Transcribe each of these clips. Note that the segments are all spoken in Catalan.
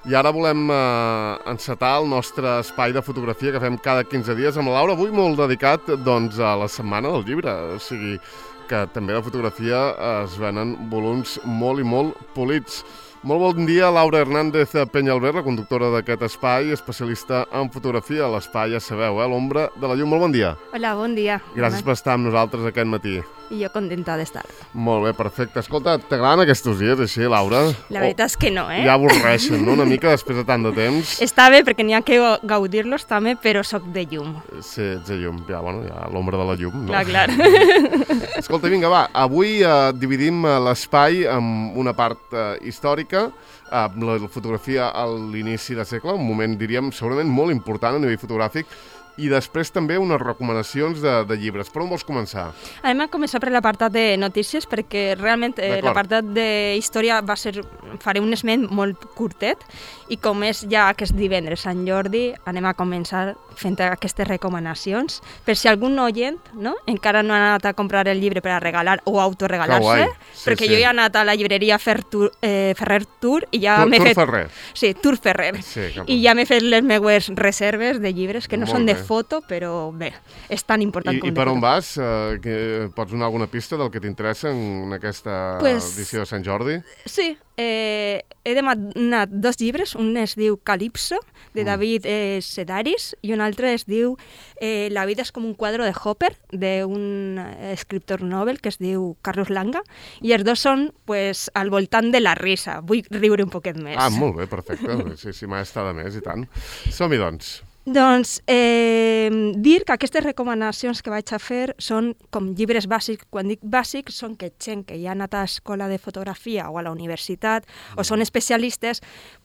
I ara volem encetar el nostre espai de fotografia que fem cada 15 dies amb la Laura, avui molt dedicat doncs, a la setmana del llibre, o sigui que també de fotografia es venen volums molt i molt polits. Molt bon dia, Laura Hernández Peñalver, la conductora d'aquest espai, especialista en fotografia. L'espai, ja sabeu, l'ombra de la llum. Molt bon dia. Hola, bon dia. Gràcies per estar amb nosaltres aquest matí. I jo contenta d'estar. Molt bé, perfecte. Escolta, t'agraden aquests dies així, Laura? La veritat és que no, Ja avorreixen, no?, una mica després de tant de temps. Està bé, perquè n'hi ha que gaudir-los també, però soc de llum. Sí, ets de llum. Ja, bueno, ja l'ombra de la llum, no? Clar. Escolta, vinga, va. Avui dividim l'espai en una part històrica, la fotografia a l'inici de segle, un moment, diríem, segurament molt important a nivell fotogràfic, i després també unes recomanacions de llibres. Per on vols començar? Anem a començar per l'apartat de notícies, perquè realment l'apartat de història faré un esment molt curtet, i com és ja aquest divendres Sant Jordi, anem a començar fent aquestes recomanacions, per si algun oient encara no ha anat a comprar el llibre per a regalar o autoregalar-se, perquè jo he anat a la llibreria Ferrer Tour i ja m'he fet... Tour Ferrer. Sí, Tour Ferrer. I ja m'he fet les meues reserves de llibres, que no són de foto, però bé, és tan important com de foto. I per on vas? Pots donar alguna pista del que t'interessa en aquesta edició de Sant Jordi? Sí, he demanat 2 llibres, un es diu Calypso, de David Sedaris, i un altre es diu La vida és com un quadre de Hopper, d'un escriptor novel que es diu Carlos Langa, i els dos són al voltant de la risa. Vull riure un poquet més. Molt bé, perfecte. Sí, m'ha estat de més, i tant. Som-hi, doncs. Doncs dir que aquestes recomanacions que vaig a fer són com llibres bàsics. Quan dic bàsics són que gent que ja ha anat a l'escola de fotografia o a la universitat o són especialistes,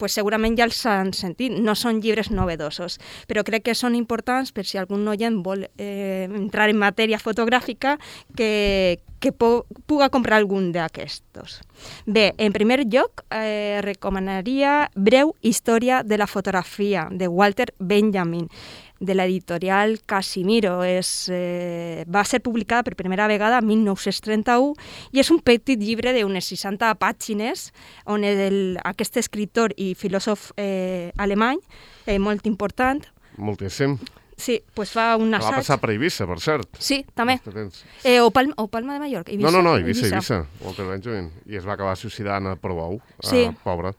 segurament ja els han sentit. No són llibres novedosos, però crec que són importants per si algun oient vol entrar en matèria fotogràfica que puga comprar algun d'aquests. Bé, en primer lloc, recomanaria Breu història de la fotografia, de Walter Benjamin, de l'editorial Casimiro. Va ser publicada per primera vegada en 1931 i és un petit llibre d'unes 60 pàgines on aquest escriptor i filòsof alemany, molt important... Moltíssim. Sí, fa un assaig... Va passar per Eivissa, per cert. Sí, també. O Palma de Mallorca. No, Eivissa. Walter Benjamin. I es va acabar suïcidant a Portbou. Sí. Pobre.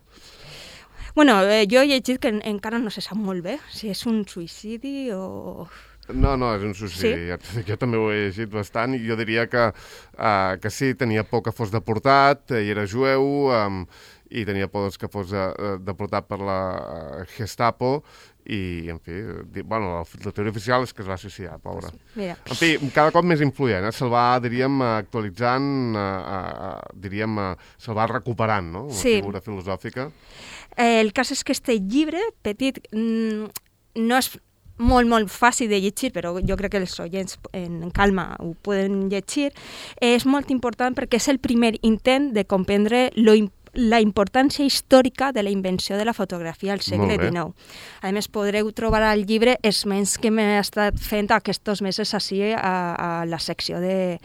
Bueno, jo he llegit que encara no se sap molt bé si és un suïcidi o... No, és un suïcidi. Sí? Jo també ho he llegit bastant i jo diria que sí, tenia por que fos deportat, ell era jueu i tenia por que fos deportat per la Gestapo i, en fi, la teoria oficial és que es va suïcidar, pobre. Mira. En fi, cada cop més influent, se'l va, diríem, actualitzant, se'l va recuperant, no?, una figura filosòfica. El cas és que este llibre, petit, no és molt fàcil de llegir, però jo crec que els oients en calma ho poden llegir. És molt important perquè és el primer intent de comprendre la importància històrica de la invenció de la fotografia al segle XIX. A més, podreu trobar al llibre esments que m'he estat fent aquests mesos així a la secció de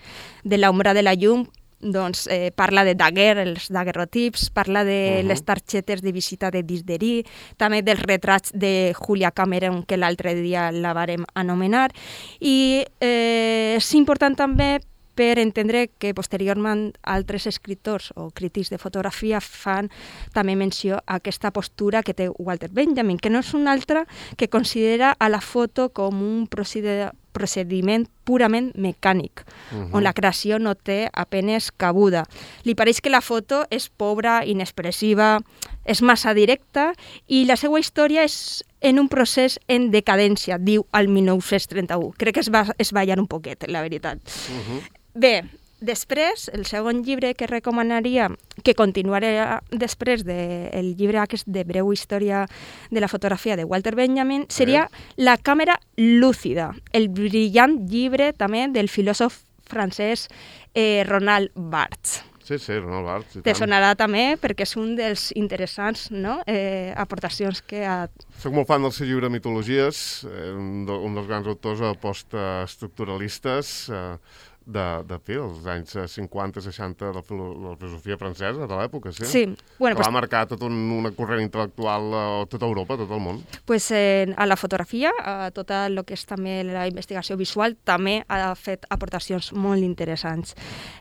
l'ombra de la llum. Doncs parla de Daguerre, els daguerrotips, parla de les targetes de visita de Diderot, també dels retrats de Julia Cameron, que l'altre dia la vàrem anomenar, i és important també per entendre que posteriorment altres escriptors o crítics de fotografia fan també menció a aquesta postura que té Walter Benjamin, que no és una altra que considera a la foto com un procediment purament mecànic, on la creació no té apenes cabuda. Li pareix que la foto és pobra, inexpressiva, és massa directa i la seva història és en un procés en decadència, diu al 1931. Crec que es ballar un poquet, la veritat. Bé, després, el segon llibre que recomanaria, que continuarà després del llibre aquest de Breu història de la fotografia de Walter Benjamin, seria La càmera lúcida, el brillant llibre també del filòsof francès Roland Barthes. Sí, Roland Barthes. Te sonarà també perquè és un dels interessants aportacions que ha... Soc molt fan del seu llibre Mitologies, un dels grans autors postestructuralistes, els anys 50-60 de la filosofia francesa de l'època, sí? Sí. Bueno, que va marcar tot una corrent intel·lectual a tota Europa, a tot el món. Pues a la fotografia, a tot el que és també la investigació visual, també ha fet aportacions molt interessants.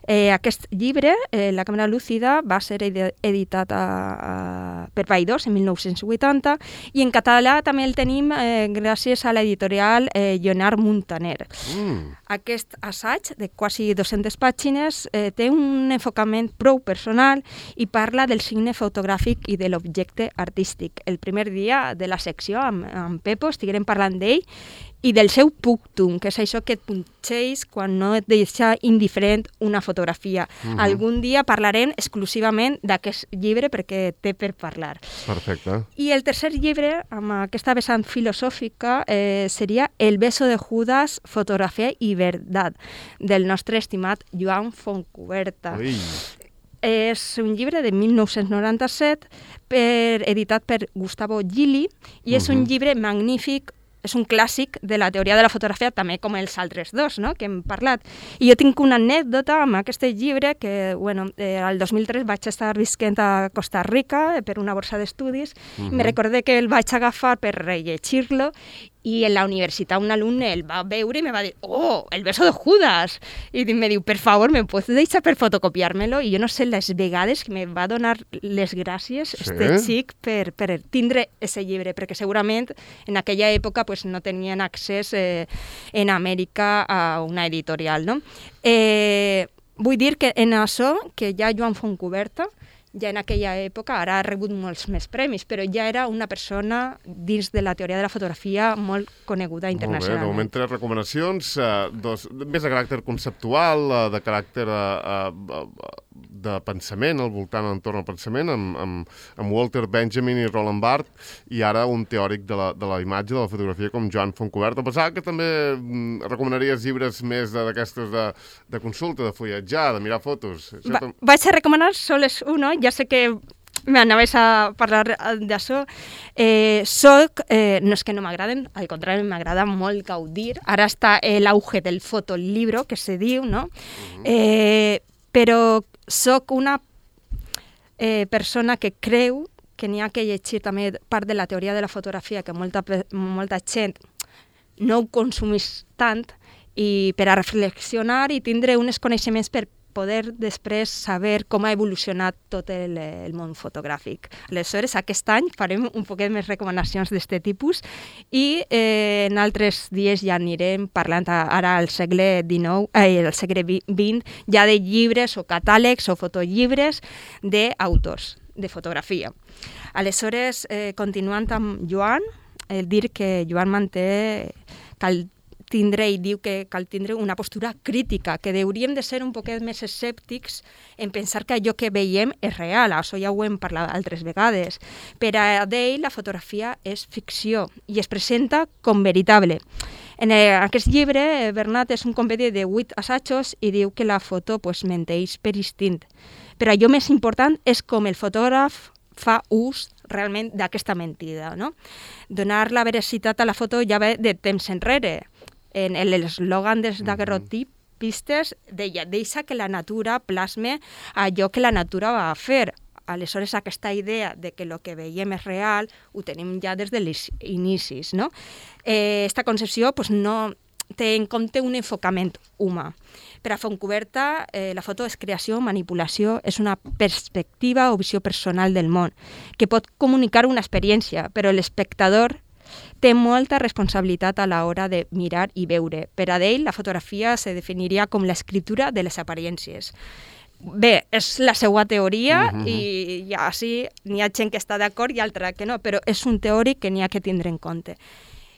Aquest llibre, La càmera lúcida, va ser editat per Paidós en 1980 i en català també el tenim gràcies a l'editorial Lleonard Muntaner. Aquest assaig de quasi 200 pàgines té un enfocament prou personal i parla del signe fotogràfic i de l'objecte artístic. El primer dia de la secció, amb Pepo, estiguem parlant d'ell i del seu punctum, que és això que et punxeix quan no et deixa indiferent una fotografia. Algun dia parlarem exclusivament d'aquest llibre perquè té per parlar. Perfecte. I el tercer llibre, amb aquesta vessant filosòfica, seria El beso de Judas, fotografia i verdad, del nostre estimat Joan Fontcuberta. Ui. És un llibre de 1997 editat per Gustavo Gili i és un llibre magnífic, és un clàssic de la teoria de la fotografia, també com els altres dos, no?, que hem parlat. I jo tinc una anècdota amb aquest llibre que, el 2003 vaig estar visquent a Costa Rica per una borsa d'estudis i me recordé que el vaig agafar per rellegir-lo i en la universitat un alumne el va veure i me va dir «Oh, el beso de Judas!» I me diu «Per favor, me pots deixar per fotocopiar-me-lo?» I jo no sé les vegades que me va donar les gràcies este xic per tindre ese llibre, perquè segurament en aquella època pues, no tenien accés en Amèrica a una editorial, no? Vull dir que en això, que ja Joan Fontcuberta, ja en aquella època, ara ha rebut molts més premis, però ja era una persona dins de la teoria de la fotografia molt coneguda internacionalment. Molt bé, de moment 3 recomanacions, més de caràcter conceptual, de caràcter de pensament, al voltant entorn al pensament, amb Walter Benjamin i Roland Barthes, i ara un teòric de la imatge, de la fotografia, com Joan Fontcuberta. Pensava que també recomanaries llibres més d'aquestes de consulta, de fulletjar, de mirar fotos. Vaig a recomanar sols uno, ja sé que m'anaves a parlar d'això. No és que no m'agraden, al contrari, m'agrada molt gaudir. Ara està l'auge del fotolibro, que se diu, no? Però soc una persona que creu que n'hi ha que llegir també part de la teoria de la fotografia, que molta gent no ho consumís tant, i per a reflexionar i tindre uns coneixements per poder després saber com ha evolucionat tot el món fotogràfic. Aleshores, aquest any farem un poquet més recomanacions d'aquest tipus i en altres dies ja anirem parlant ara al segle XX, ja de llibres o catàlegs o fotollibres d'autors de fotografia. Aleshores, continuant amb Joan, dir que Joan manté diu que cal tindre una postura crítica, que hauríem de ser un poquet més escèptics en pensar que allò que veiem és real. Això ja ho hem parlat altres vegades. Per a ell, la fotografia és ficció i es presenta com veritable. En aquest llibre, Bernat és un competent de 8 assajos i diu que la foto menteix per instint. Però allò més important és com el fotògraf fa ús realment d'aquesta mentida, no? Donar la veracitat a la foto ja ve de temps enrere. En l'eslògan dels daguerrotipistes deia «Deixa que la natura plasme allò que la natura va fer». Aleshores, aquesta idea de que el que veiem és real ho tenim ja des dels inicis, no? Esta concepció no té en compte un enfocament humà. Per a Fontcuberta, la foto és creació, manipulació, és una perspectiva o visió personal del món, que pot comunicar una experiència, però l'espectador té molta responsabilitat a l'hora de mirar i veure. Per a ell, la fotografia se definiria com l'escriptura de les apariències. Bé, és la seva teoria i ja sí, n'hi ha gent que està d'acord i altra que no, però és un teòric que n'hi ha que tindre en compte.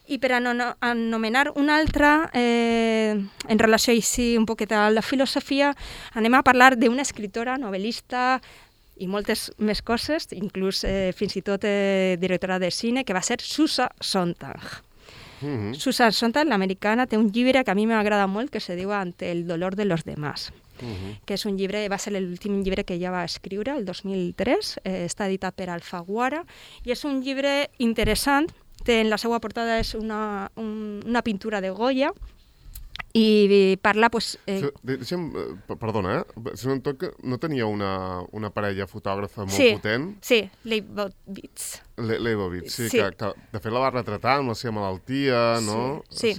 I per anomenar una altra, en relació així un poquet a la filosofia, anem a parlar d'una escriptora, novel·lista i moltes més coses, inclús fins i tot directora de cine, que va ser Susan Sontag. Susan Sontag, l'americana, té un llibre que a mi m'agrada molt, que se diu Ante el dolor de los demás, que és un llibre, va ser l'últim llibre que ella va escriure, el 2003, està editat per Alfaguara, i és un llibre interessant. En la seva portada és una pintura de Goya I parla, doncs... Deixa'm, perdona, si no em toca, no tenia una parella fotògrafa molt potent? Sí, Leibovitz. Leibovitz, sí. Que de fet la va retratar amb la seva malaltia, no? Sí.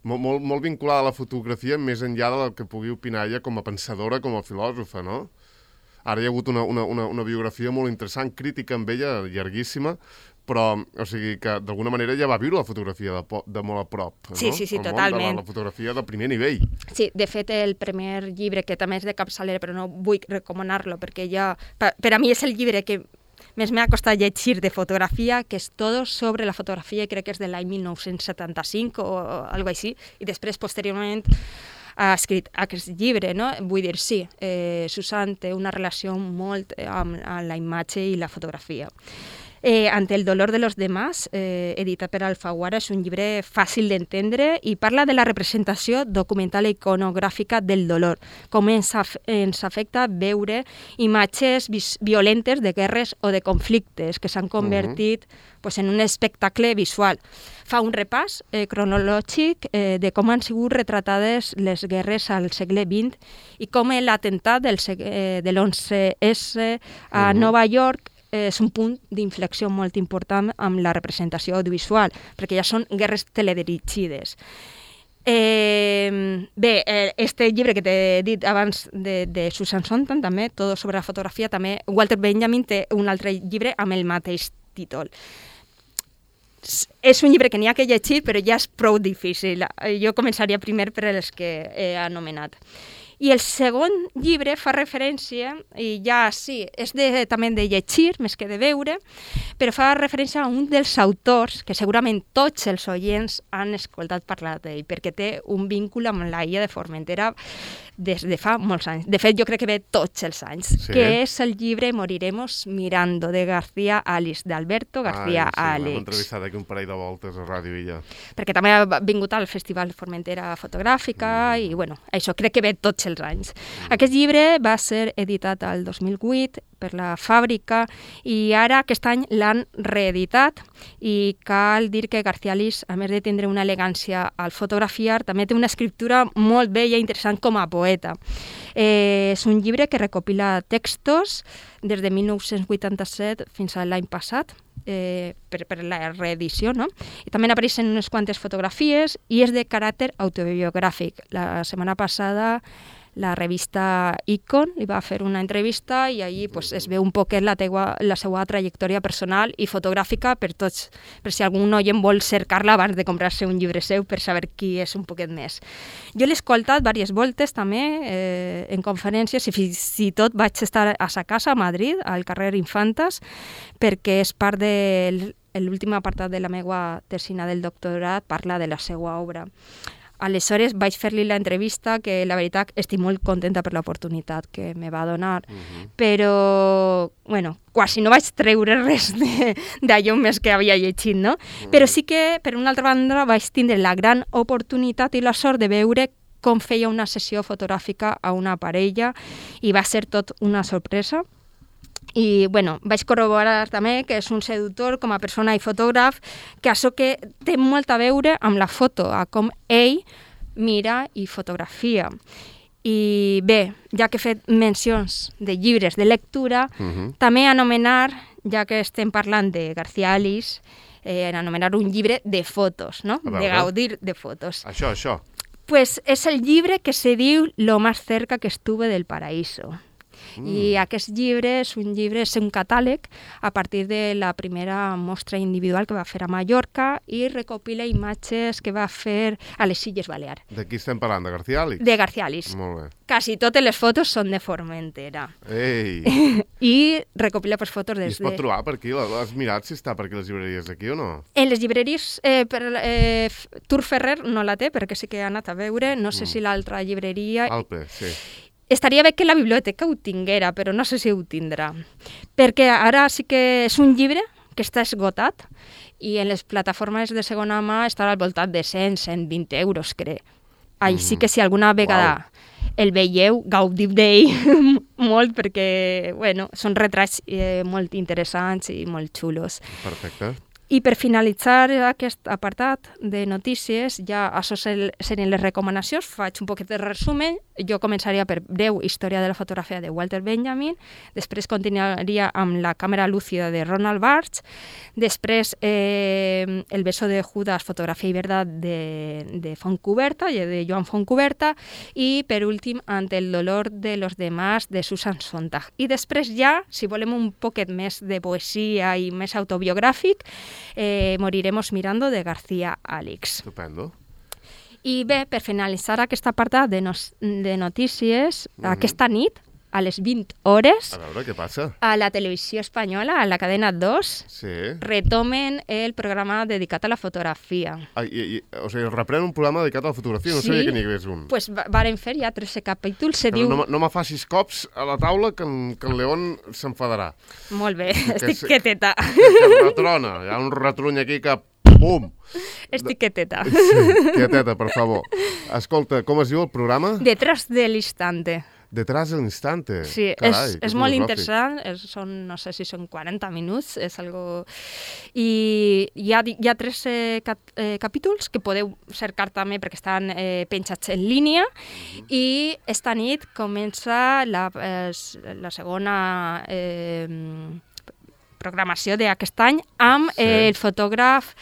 Molt vinculada a la fotografia, més enllà del que pugui opinar ella com a pensadora, com a filòsofa, no? Ara hi ha hagut una biografia molt interessant, crítica amb ella, llarguíssima, però, o sigui, que d'alguna manera ja va viure la fotografia de molt a prop, no? Sí, totalment. La fotografia de primer nivell. Sí, de fet, el primer llibre, que també és de capçalera, però no vull recomanar-lo, perquè ja, per a mi és el llibre que més m'ha costat llegir de fotografia, que és Todo sobre la fotografia, crec que és de l'any 1975 o alguna cosa així, i després, posteriorment, ha escrit aquest llibre, no? Vull dir, sí, Susan té una relació molt amb la imatge i la fotografia. Ante el dolor de los demás, editat per Alfaguara, és un llibre fàcil d'entendre i parla de la representació documental i iconogràfica del dolor, com ens afecta veure imatges violentes de guerres o de conflictes que s'han convertit en un espectacle visual. Fa un repàs cronològic de com han sigut retratades les guerres al segle XX i com l'atemptat de l'11S a Nova York és un punt d'inflexió molt important amb la representació audiovisual, perquè ja són guerres teledirigides. Este llibre que t'he dit abans de Susan Sontag, també, Todo sobre la fotografia, també Walter Benjamin té un altre llibre amb el mateix títol. És un llibre que n'hi ha que llegir, però ja és prou difícil. Jo començaria primer per els que he anomenat. I el segon llibre fa referència, i ja sí, és també de llegir, més que de veure, però fa referència a un dels autors que segurament tots els oients han escoltat parlar d'ell, perquè té un vincle amb la illa de Formentera des de fa molts anys. De fet, jo crec que ve tots els anys, que és el llibre Moriremos mirando, de García Alix, d'Alberto García Alix. L'hem entrevistat aquí un parell de voltes a Ràdio Illa. Perquè també ha vingut al Festival Formentera Fotogràfica i, bueno, això crec que ve tots els anys. Aquest llibre va ser editat al 2008 per la Fàbrica i ara aquest any l'han reeditat i cal dir que García Alix, a més de tindre una elegància al fotografiar, també té una escriptura molt bella i interessant com a poeta. És un llibre que recopila textos des de 1987 fins a l'any passat, per la reedició, no? I també apareixen unes quantes fotografies i és de caràcter autobiogràfic. La setmana passada la revista Icon li va fer una entrevista i allí es veu un poquet la seva trajectòria personal i fotogràfica per tots, per si algun oient vol cercar-la abans de comprar-se un llibre seu per saber qui és un poquet més. Jo l'he escoltat diverses voltes també en conferències i fins i tot vaig estar a sa casa a Madrid, al carrer Infantes, perquè és part de l'últim apartat de la meva tesina del doctorat, parla de la seva obra. Aleshores vaig fer-li l'entrevista, que la veritat estic molt contenta per l'oportunitat que me va donar, però bueno, quasi no vaig treure res d'allò més que havia llegit, no? Però sí que, per una altra banda, vaig tindre la gran oportunitat i la sort de veure com feia una sessió fotogràfica a una parella i va ser tot una sorpresa. I bueno, vaig corroborar també que és un seductor com a persona i fotògraf, que això que té molt a veure amb la foto, a com ell mira i fotografia. I bé, ja que he fet mencions de llibres de lectura, també anomenar, ja que estem parlant de García Alix, anomenar un llibre de fotos, no? De gaudir de fotos. Això. Pues és el llibre que se diu Lo más cerca que estuve del paraíso. I aquest llibre és un catàleg a partir de la primera mostra individual que va fer a Mallorca i recopila imatges que va fer a les Illes Balears. De qui estem parlant? De García Alix? De García Alix. Molt bé. Quasi totes les fotos són de Formentera. Ei! I recopila fotos des de... I es pot trobar per aquí? Has mirat si està per aquí les llibreries d'aquí o no? En les llibreries, Tur Ferrer no la té, perquè sí que ha anat a veure, no sé si l'altra llibreria... Alpe, sí. Estaria bé que la biblioteca ho tinguera, però no sé si ho tindrà. Perquè ara sí que és un llibre que està esgotat i en les plataformes de segona mà estarà al voltant de 100-120 euros, crec. Així que si alguna vegada el veieu, gaudiu d'ell molt perquè, bueno, són retrats molt interessants i molt xulos. Perfecte. I per finalitzar aquest apartat de notícies, ja això serien les recomanacions, faig un poquet de resumen. Jo començaria per breu història de la fotografia de Walter Benjamin, després continuaria amb la càmera lúcida de Ronald Barthes, després El beso de Judas, fotografia i verdad de Fontcuberta, de Joan Fontcuberta, i per últim Ante el dolor de los demás de Susan Sontag. I després ja, si volem un poquet més de poesia i més autobiogràfic, Moriremos mirando de García Alix. Estupendo. I bé, per finalitzar aquest apartat de notícies, aquesta nit, a les 20 hores, A veure, què passa? a la televisió espanyola, a la cadena 2, Sí. retomen el programa dedicat a la fotografia. O sigui, reprèn un programa dedicat a la fotografia, no sabia que n'hi hagués un. Pues varen fer ja 13 capítols, se Però diu... no me facis cops a la taula que en León s'enfadarà. Molt bé, Que estic sí. quieteta. Que retrona, hi ha un retruny aquí que... Pum! Estic quieteta. Sí, quieteta, per favor. Escolta, com es diu el programa? Detrás del instante. Detrás del instante. Sí, Carai, que és molt filosòfic. interessant, són, no sé si són 40 minuts, és algo... I hi ha 3 capítols que podeu cercar també perquè estan penjats en línia i esta nit comença la segona programació d'aquest any amb el fotògraf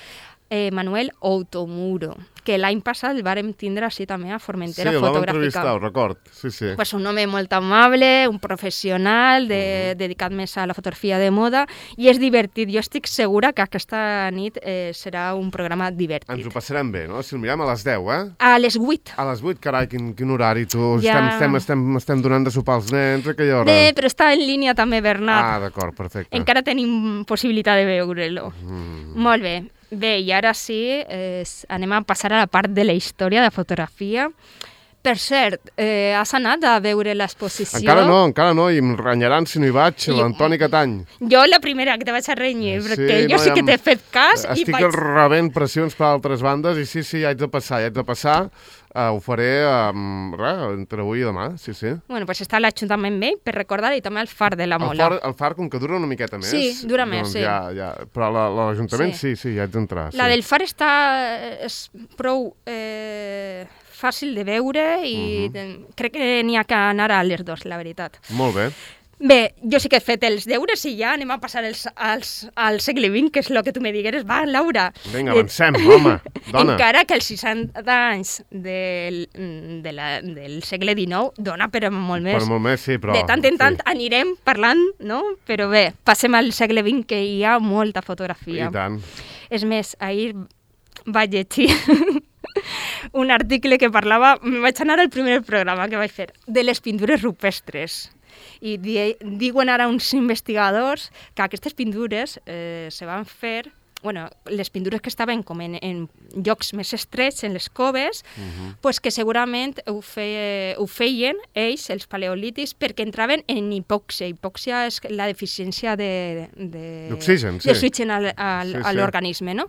Manuel Outomuro, que l'any passat el vàrem tindre així també a Formentera Sí, el vam Fotogràfica. entrevistar, ho record. Sí, sí. Pues un home molt amable, un professional dedicat més a la fotografia de moda i és divertit. Jo estic segura que aquesta nit serà un programa divertit. Ens ho passarem bé, no? Si el mirem a les 10, eh? A les 8. A les 8, carai, quin horari, tu. Ja. Estem donant de sopar als nens a aquella hora. Bé, però està en línia també, Bernat. Ah, d'acord, perfecte. Encara tenim possibilitat de veure-lo. Molt bé. Bé, i ara sí, anem a passar a la part de la història de fotografia. Per cert, has anat a veure l'exposició? Encara no, i em renyaran si no hi vaig, l'Antoni Catany. Jo la primera que te vaig a renyir, perquè jo sí que t'he fet cas i estic rebent pressions per altres bandes i sí, haig de passar. Ho faré entre avui i demà, sí. Bueno, pues està l'Ajuntament bé, per recordar, i també el Far de la Mola. El Far, com que dura una miqueta més... Sí, dura més, sí. Ja. Però l'Ajuntament sí, hi haig d'entrar. La del Far és prou fàcil de veure i crec que n'hi ha que anar a les 2, la veritat. Molt bé. Bé, jo sí que he fet els deures i ja anem a passar al segle XX, que és el que tu me digueres. Va, Laura. Vinga, avancem, home, dona. Encara que els 60 anys del segle XIX dona per molt més. Per molt més, sí, però... De tant en tant anirem parlant, no? Però bé, passem al segle XX, que hi ha molta fotografia. I tant. És més, ahir vaig llegir un article que parlava, vaig anar al primer programa que vaig fer, de les pintures rupestres. I diuen ara uns investigadors que aquestes pintures se van fer, bueno, les pintures que estaven com en llocs més estrets, en les coves, pues que segurament ho feien ells, els paleolítics, perquè entraven en hipòxia. Hipòxia és la deficiència d'oxigen, sí. D'oxigen a l'organisme, no?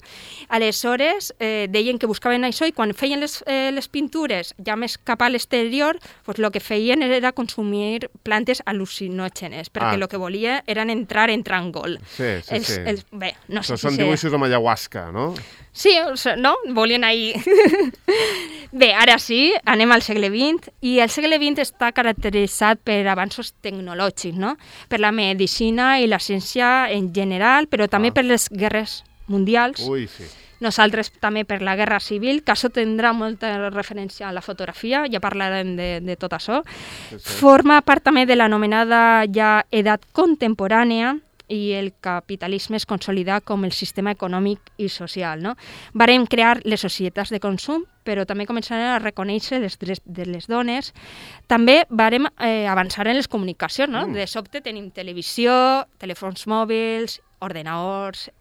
Aleshores, deien que buscaven això i quan feien les pintures ja més cap a l'exterior, pues el que feien era consumir plantes al·lucinògenes, perquè el que volia era entrar en tràngol. Sí. Bé, no sé si són dibuixos amb ayahuasca, no? Sí, no? Volien ahir. Bé, ara sí, anem al segle XX, i el segle XX està caracteritzat per avanços tecnològics, no? Per la medicina i la ciència en general, però també per les guerres mundials. Ui, sí. Nosaltres també per la guerra civil, que això tindrà molta referència a la fotografia, ja parlarem de tot això. Sí. Forma part també de l'anomenada ja edat contemporània, i el capitalisme es consolida com el sistema econòmic i social, no? Vàrem crear les societats de consum, però també començarem a reconèixer els drets de les dones. També vàrem avançar en les comunicacions, no? De sobte tenim televisió, telèfons mòbils, ordenadors,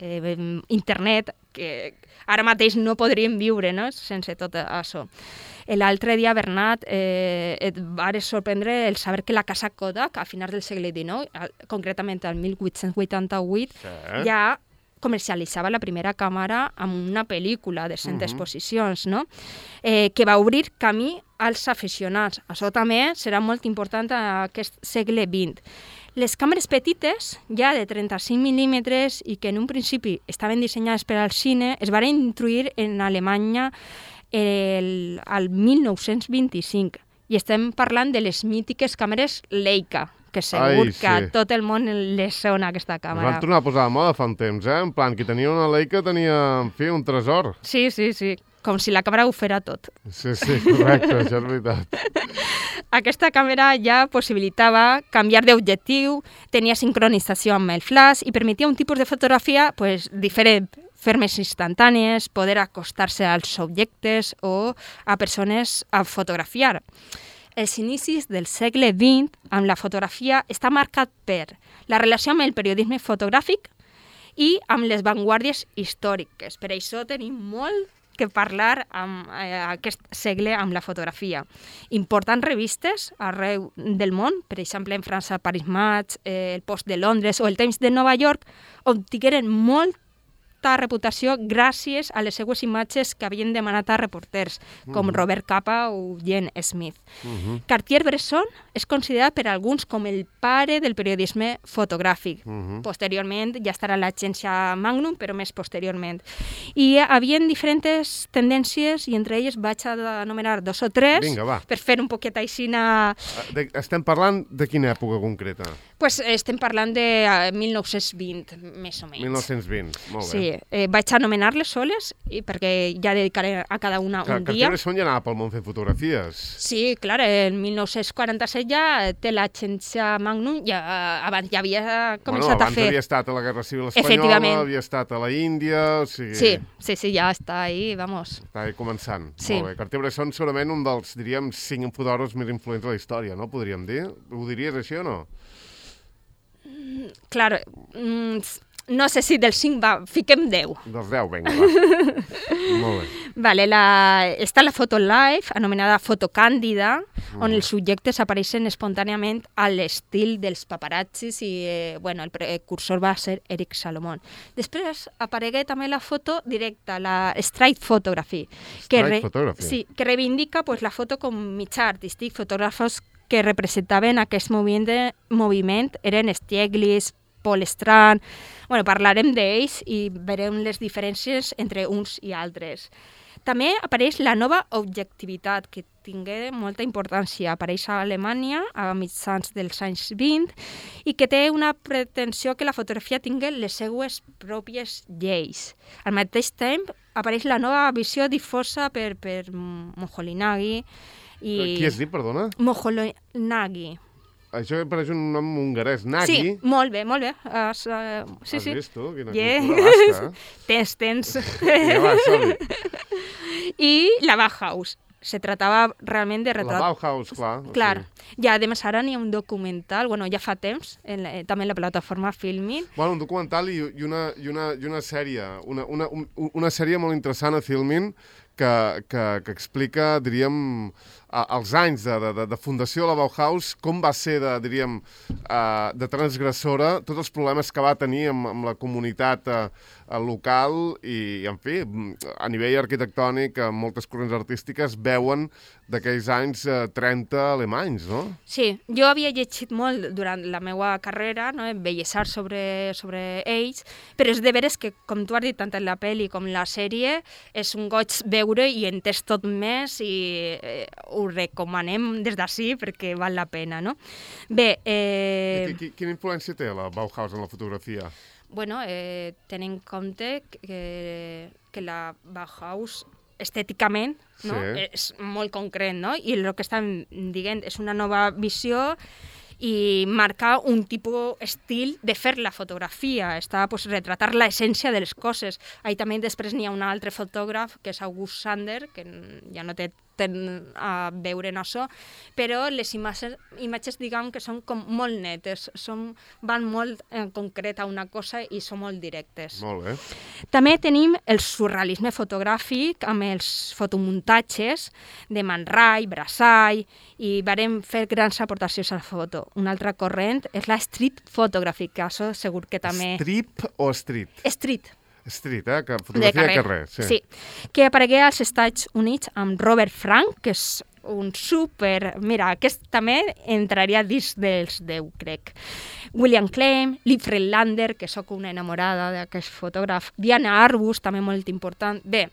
internet, que ara mateix no podríem viure, no? Sense tot això. L'altre dia, Bernat, et vares sorprendre el saber que la casa Kodak, a finals del segle XIX, concretament el 1888, ja comercialitzava la primera càmera amb una pel·lícula de 100 exposicions, no? Que va obrir camí als aficionats. Això també serà molt important en aquest segle XX. Les càmeres petites, ja de 35 mil·límetres i que en un principi estaven dissenyades per al cine, es van introduir en Alemanya al 1925. I estem parlant de les mítiques càmeres Leica, que segur que a tot el món les sona aquesta càmera. Van tornar a posar de moda fa un temps, En plan, qui tenia una Leica tenia, en fi, un tresor. Sí. Com si la càmera ho fera tot. Sí, correcte, això és veritat. Aquesta càmera ja possibilitava canviar d'objectiu, tenia sincronització amb el flash i permetia un tipus de fotografia diferent, fer més instantànies, poder acostar-se als objectes o a persones a fotografiar. Els inicis del segle XX amb la fotografia està marcat per la relació amb el periodisme fotogràfic i amb les vanguardies històriques. Per això tenim molt que parlar amb aquest segle amb la fotografia. Importants revistes arreu del món, per exemple en França, Paris Match, el Post de Londres o el Times de Nova York, obtingueren molta reputació gràcies a les seues imatges que havien demanat a reporters, com Robert Capa o Jean Smith. Cartier-Bresson és considerat per alguns com el pare del periodisme fotogràfic. Posteriorment ja estarà l'agència Magnum, però més posteriorment. I hi havia diferents tendències i entre elles vaig anomenar 2 o 3 per fer un poquet així. Estem parlant de quina època concreta? Pues estem parlant de 1920, més o menys. 1920, molt bé. Sí, vaig anomenar-les soles perquè ja dedicaré a cada una un dia. Cartier-Bresson ja anava pel món fent fotografies. Sí, clar, en 1947 ja té l'agència Magnum, abans ja havia començat a fer... Abans havia estat a la Guerra Civil Espanyola, havia estat a la Índia, o sigui... Sí, ja està ahí, vamos. Està ahí començant. Sí. Molt bé. Cartier-Bresson segurament un dels, diríem, 5 fotògrafs més influents de la història, no? Podríem dir? Ho diries així o no? Clar, no sé si dels 5 fiquem 10. Dels 10, vinga, va. Molt bé. Vale, està la foto live, anomenada foto càndida, on els subjectes apareixen espontàniament a l'estil dels paparazzis i el precursor va ser Eric Salomon. Després aparegué també la foto directa, la street photography. Sí, que reivindica la foto com mitjà artístic. Fotògrafos que representaven aquest moviment eren Stieglitz, Paul Strand... parlarem d'ells i veurem les diferències entre uns i altres. També apareix la nova objectivitat, que tingué molta importància. Apareix a Alemanya a mitjans dels anys 20 i que té una pretensió que la fotografia tingui les seues pròpies lleis. Al mateix temps apareix la nova visió difosa per Moholy-Nagy. Qui has dit, perdona? Moholy-Nagy. Això pareix un nom hongarès. Nagy? Sí, molt bé. Has vist tu? Quina cultura vasca. Tens. Ja va, som-hi. I la Bauhaus. Se tratava realment de La Bauhaus, clar. Clar. Ja, además, ara n'hi ha un documental, ja fa temps, també en la plataforma Filmin. Un documental i una sèrie, una sèrie molt interessant a Filmin que explica, diríem, els anys de fundació de la Bauhaus, com va ser, de transgressora, tots els problemes que va tenir amb la comunitat local i, en fi, a nivell arquitectònic, moltes corrents artístiques veuen d'aquells anys 30 alemanys, no? Sí, jo havia llegit molt durant la meva carrera, no? Belles arts sobre ells, però és de veres que, com tu has dit, tant en la pel·li com la sèrie, és un goig veure i entès tot més i ho recomanem des d'ací perquè val la pena, no? Bé... Quina influència té la Bauhaus en la fotografia? Tenint en compte que la Bauhaus estèticament, no? És molt concret, no? I el que estan dient és una nova visió i marcar un tipus estil de fer la fotografia, retratar l'essència de les coses. Ahí també després n'hi ha un altre fotògraf, que és August Sander, que ja no té a veure en això, però les imatges diguem que són com molt netes, van molt en concret a una cosa i són molt directes. Molt bé. També tenim el surrealisme fotogràfic amb els fotomuntatges de Man Ray, Brassai, i vàrem fer grans aportacions a la foto. Una altra corrent és la street photography, que això segur que també... Strip o street? Street. Street, que fotografia de carrer. Sí, que aparegué als Estats Units amb Robert Frank, que és un super... Mira, aquest també entraria dins dels 10, crec. William Klein, Liv Friedlander, que sóc una enamorada d'aquest fotògraf, Diana Arbus, també molt important. Bé,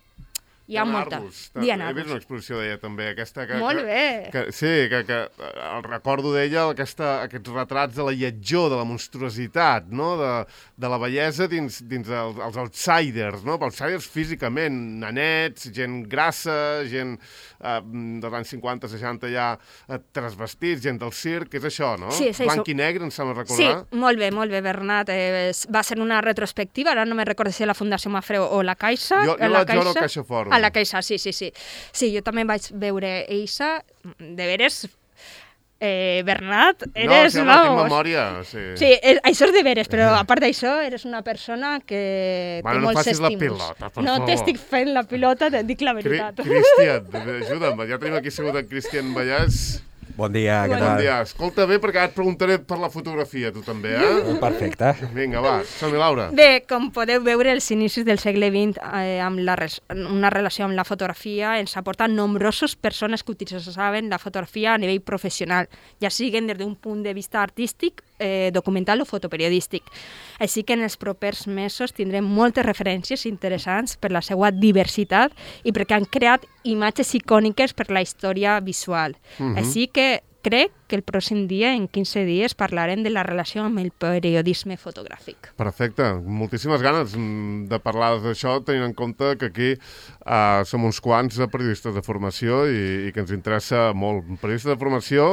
hi ha molta. Diana Arbus. He vist una exposició d'ella també, aquesta que... Molt bé. Que el recordo d'ella, aquests retrats de la lletjor, de la monstruositat, no? De la bellesa dins els outsiders, no? Outsiders físicament, nanets, gent grassa, gent dels anys 50-60 ja transvestits, gent del circ, és això, no? Sí, és Blanc i negre, em sembla recordar. Sí, molt bé, Bernat. Va ser una retrospectiva, ara no me recordo si la Fundació Mafreu o la Caixa. Jo la vaig veure al Caixa Fòrum. A la Caixa, sí. Sí, jo també vaig veure eixa, de veres... Bernat, eres... No, tinc memòria, sí. Sí, això és de veres, però a part d'això, eres una persona que té molts estímuls. No facis la pilota, per favor. No t'estic fent la pilota, et dic la veritat. Cristian, ajuda'm, ja tenim aquí segut en Cristian Vallès. Bon dia, què tal? Bon dia. Escolta bé, perquè ara et preguntaré per la fotografia, tu també, eh? Perfecte. Vinga, va, som-hi, Laura. Bé, com podeu veure, els inicis del segle XX amb una relació amb la fotografia ens ha portat nombrosos persones que utilitzaven la fotografia a nivell professional, ja siguin des d'un punt de vista artístic, documental o fotoperiodístic. Així que en els propers mesos tindrem moltes referències interessants per la seva diversitat i perquè han creat imatges icòniques per la història visual. Així que crec que el pròxim dia, en 15 dies, parlarem de la relació amb el periodisme fotogràfic. Perfecte. Moltíssimes ganes de parlar d'això, tenint en compte que aquí som uns quants periodistes de formació i que ens interessa molt. Periodistes de formació,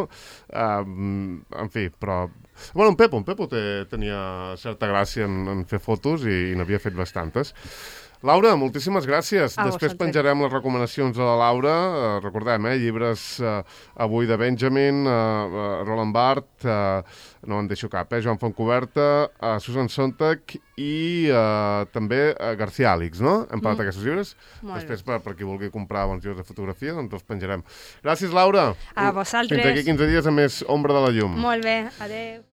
en fi, però... Bueno, en Pepo tenia certa gràcia en fer fotos i n'havia fet bastantes. Laura, moltíssimes gràcies. Després penjarem les recomanacions de la Laura. Recordem, llibres avui de Benjamin, Roland Barthes, no en deixo cap, Joan Fontcoberta, Susan Sontag i també García Alix, no? Hem parlat d'aquests llibres. Després, per qui vulgui comprar bons llibres de fotografia, doncs els penjarem. Gràcies, Laura. A vosaltres. Fins aquí 15 dies amb més Ombra de la Llum. Molt bé, adeu.